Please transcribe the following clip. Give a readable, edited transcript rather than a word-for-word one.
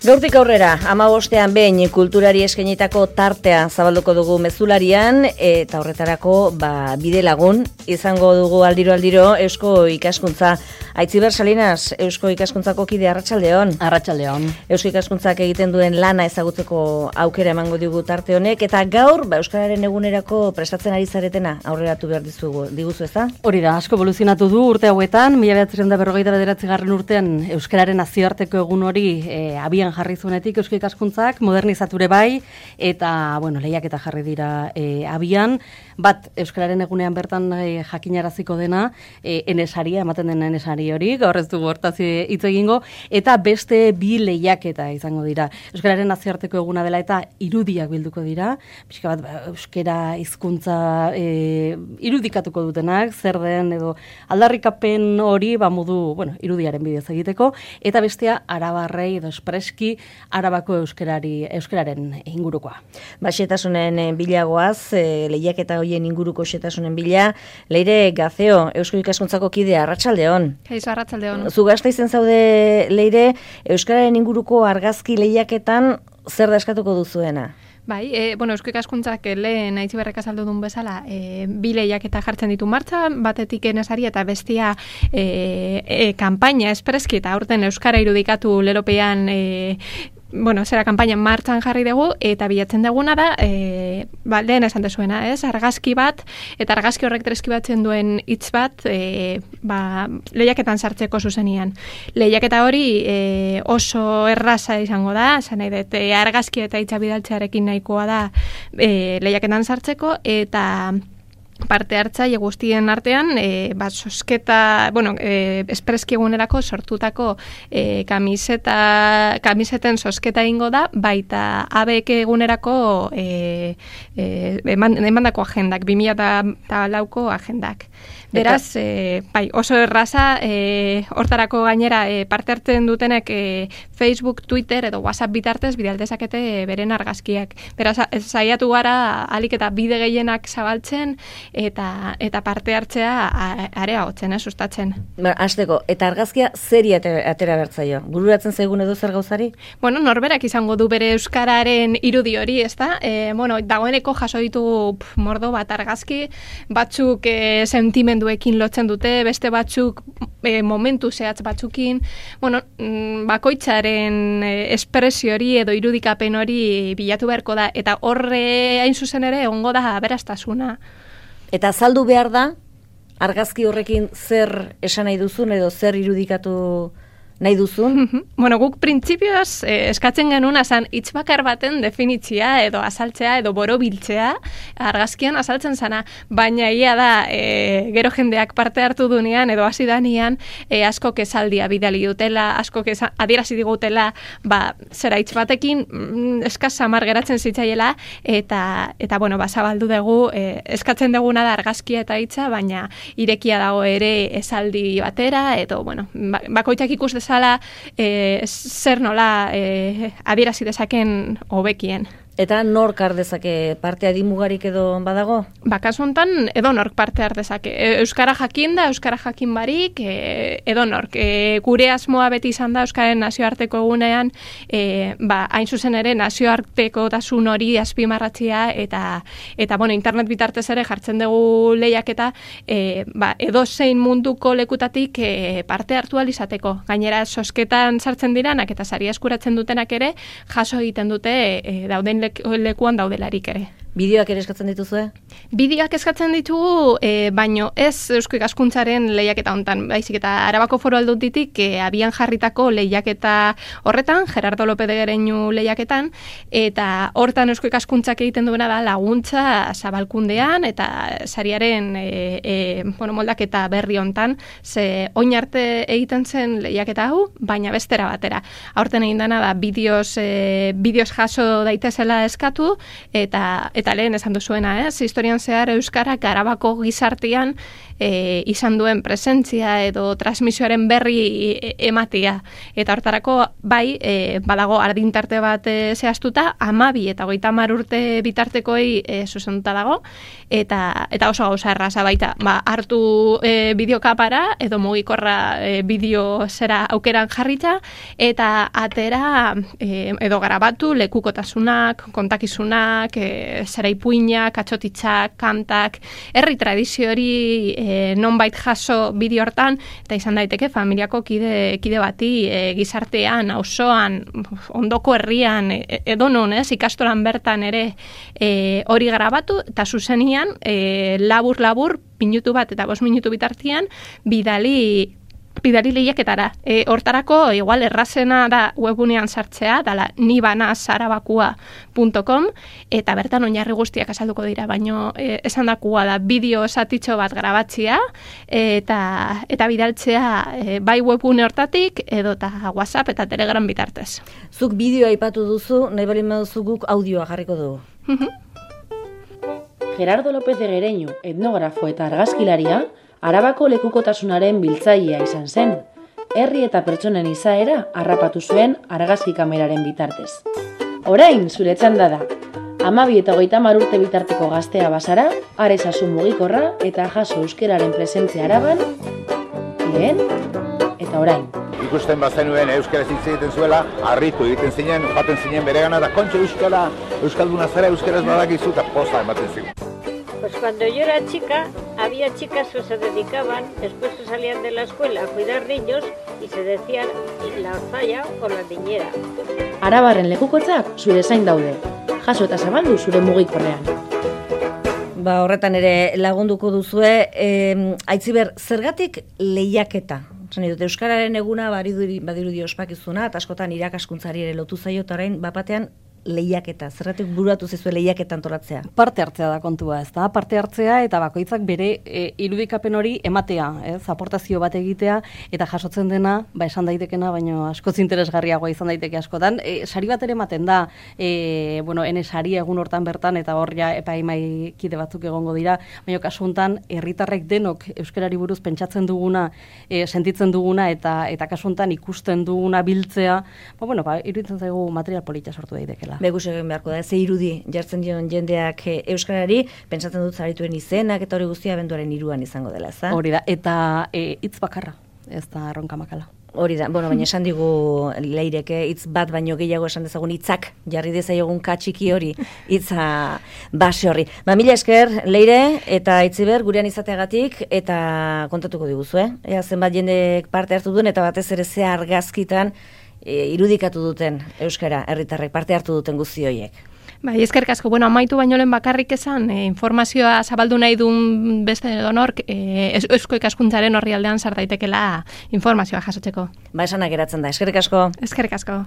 Gaurtik aurrera, 15ean behin kulturari eskainitako tartea zabalduko dugu mezularian, eta horretarako bide lagun izango dugu aldiro Eusko Ikaskuntza. Aitziber Salinas, Eusko Ikaskuntzako kide, arratsaldeon. Arratsaldeon. Eusko Ikaskuntzak egiten duen lana ezagutzeko aukera emango digu tarte honek, eta gaur euskararen egunerako prestatzen ari zaretena aurreratu behar diguzu, ezta? Hori da, asko evoluzionatu du urte hauetan, 1949 urtean euskararen nazioarteko egun hori abian jarri zuenetik Eusko Ikaskuntzak modernizature bai, eta lehiaketa jarri dira abian, bat euskararen egunean bertan jakinaraziko dena, enesaria, ematen den enesari hori, gaur ez dugu hortaz hitz egingo, eta beste bi lehiaketa izango dira. Euskararen nazioarteko eguna dela eta irudiak bilduko dira, pixka bat euskara hizkuntza irudikatuko dutenak, zer den edo aldarrikapen hori modu, irudiaren bidez egiteko, eta bestea arabarrei edo espreski Arabako euskararen ingurukoa. Xetasunen bilagoaz, lehiaketa hoien inguruko xetasunen bila, Leire Gazeo, Eusko Ikaskuntzako kidea, arratsaldeon. Kaixo, arratsaldeon. Zu Gasteizen zaude, Leire, euskararen inguruko argazki lehiaketan zer da eskatuko duzuena? Bai, Eusko Ikaskuntzak lehen Aitziberrek azaldu duen bezala, bi lehiaketa jartzen ditu martxan, batetik enesari eta bestia kanpaina espreski eta aurten euskara irudikatu lelopean zera kanpaina martxan jarri dugu, eta bilatzen duguna da, lehen esan dezuena, argazki bat, eta argazki horrek deskribatzen duen hitz bat, lehiaketan sartzeko zuzenian. Lehiaketa hori oso erraza izango da, esan nahi dut, argazki eta hitza bidaltzearekin nahikoa da lehiaketan sartzeko, eta parte hartzaile guztien artean, sosketa, espreski egunerako sortutako kamiseten sosketa egingo da, baita ABEK egunerako emandako agendak, 2004ko agendak. Beraz, oso erraza, hortarako gainera parte hartzen dutenek Facebook, Twitter edo WhatsApp bitartez bidaldezakete beren argazkiak. Beraz, saiatu gara alik eta bide gehienak zabaltzen eta parte hartzea areagotzen, sustatzen. Hasteko, eta argazkia zeri atera bertzaio? Bururatzen zaigun edo zer gauzari? Norberak izango du bere euskararen irudi hori, ezta? Dagoeneko jaso ditugu mordo bat argazki, batzuk sentimenduekin lotzen dute, beste batzuk momentu zehatz batzukin, bakoitzaren espresio hori edo irudikapen hori bilatu beharko da, eta horre hain zuzen ere egongo da aberastasuna. Eta azaldu behar da, argazki horrekin zer esan nahi duzun edo zer irudikatu nahi duzun? Guk printzipioz eskatzen genuen hitz bakar baten definitzia edo azaltzea edo borobiltzea argazkian azaltzen zana, baina ia da gero jendeak parte hartu dunean edo hasi danean askok esaldia bidali dutela, askok adierazi digutela zera hitz batekin eskaz samar geratzen zitzaiela eta zabaldu dugu eskatzen duguna da argazkia eta hitza, baina irekia dago ere esaldi batera edo bakoitzak ikus zala zer nola adierazi dezaken hobekien. Eta nork har dezake parte adimugarik edo badago? Kasu honetan edo nork parte har dezake. Euskara jakin da, euskara jakin barik, edo nork. Gure asmoa beti izan da euskaren nazioarteko egunean, hain zuzen ere nazioarteko tasun hori azpimarratzea eta internet bitartez ere jartzen dugu lehiaketa edo zein munduko lekutatik parte hartu alizateko. Gainera sosketan sartzen diranak eta saria eskuratzen dutenak ere jaso egiten dute dauden lekuan daudelarik ere. Bideoak ere eskatzen dituzue? Bideoak eskatzen ditugu, baino ez Eusko Ikaskuntzaren lehiaketa hontan, baizik eta Arabako Foru Aldunditik abian jarritako lehiaketa horretan, Gerardo López de Gereñu lehiaketan, eta hortan Eusko Ikaskuntzak egiten duena da laguntza zabalkundean eta sariaren moldaketa berri hontan, ze oin arte egiten zen lehiaketa hau, baina bestera batera. Aurten egin dena da bideoz jaso daitezela eskatu eta lehen esan duzuena, historian zehar Euskarak Arabako gizartean izan duen presentzia edo transmisioaren berri ematia. Eta hortarako bai, badago ardintarte bat zehaztuta, 12 eta 30 urte bitartekoi zuzenduta dago, eta oso gauza erraza baita. Hartu bideokapara edo mugikorra bideo zera aukeran jarrita, eta atera edo grabatu lekukotasunak, kontakizunak, zera ipuinak, atxotitzak, kantak, herri tradizio hori nonbait jaso bideo hortan, eta izan daiteke familiako kide bati gizartean, auzoan, ondoko herrian, edonon, ikastolan bertan ere hori grabatu, eta zuzenian labur, minutu bat eta 5 minutu bitartian, bidali lehiaketara. Hortarako, igual errazena da webunean sartzea, dala nibanazarabakua.com, eta bertan oinarri guztiak azalduko dira, baino esan dakua da bideo esatitxo bat grabatzea, eta bidaltzea bai webune hortatik, edo eta WhatsApp eta Telegram bitartez. Zuk bideoa aipatu duzu, nahi bali maduzu guk audioa jarriko dugu. Gerardo López de Gereñu, etnografo eta argazkilaria, Arabako lekukotasunaren biltzailea izan zen. Herri eta pertsonen izaera harrapatu zuen argazki kameraren bitartez. Orain, zure txanda da. 12 eta 30 urte bitarteko gaztea bazara, are ezazu mugikorra eta jaso euskeraren presentzia Araban, lehen eta orain. Ikusten bazenuen euskaraz hitz egiten zuela, harritu egiten zinen, joaten zinen beregana da kontxo euskalduna zara euskaraz badakizu eta posta ematen zigun. Pues cuando yo era chica, había chicas que se dedicaban, después que salían de la escuela, a cuidar niños y se decían la orzalla o la niñera. Arabarren lekukotzak zure zain daude. Jaso eta zabaldu zure mugikorrean. Horretan ere lagunduko duzue, Aitziber, zergatik lehiaketa? Dut, Euskararen eguna badirudi ospakizuna, eta askotan irakaskuntzari ere lotu zaio, eta orain bapatean lehiaketa. Zerratik buratu zizue lehiaketa antolatzea? Parte hartzea da kontua, ez da? Parte hartzea eta bakoitzak bere irudikapen hori ematea, ez? Aportazio bat egitea eta jasotzen dena, esan daitekena, baino askoz interesgarriagoa izan daiteke askotan. Sari bat ere ematen da, ene sari egun hortan bertan, eta hor ja epaimai kide batzuk egongo dira, baina kasu hontan herritarrek denok euskarari buruz pentsatzen duguna, sentitzen duguna, eta kasu hontan ikusten duguna biltzea, iruditzen zaigu material polita sortu daitekela. Begus egin beharko da, ze irudi jartzen dion jendeak euskarari, pentsatzen dut zarituen izenak eta hori guztia abenduaren 3 izango dela, ez da? Hori da, eta hitz bakarra, ez da erronka makala. Hori da, baina esan digu Leireke, hitz bat baino gehiago esan dezagun hitzak, jarri dezaiogun katxiki hori, hitza base horri. Mila esker, Leire eta Aitziber gurean izateagatik, eta kontatuko diguzu, ea zenbat jendek parte hartu duen, eta batez ere ze argazkitan irudikatu duten euskara herritarrek parte hartu duten guzti horiek. Eskerrik asko, amaitu baino lehen bakarrik esan, informazioa zabaldu nahi duen beste donork, eusko ikaskuntzaren horri aldean sar daitekela informazioa jasotzeko. Esanak geratzen da, eskerrik asko. Eskerrik asko.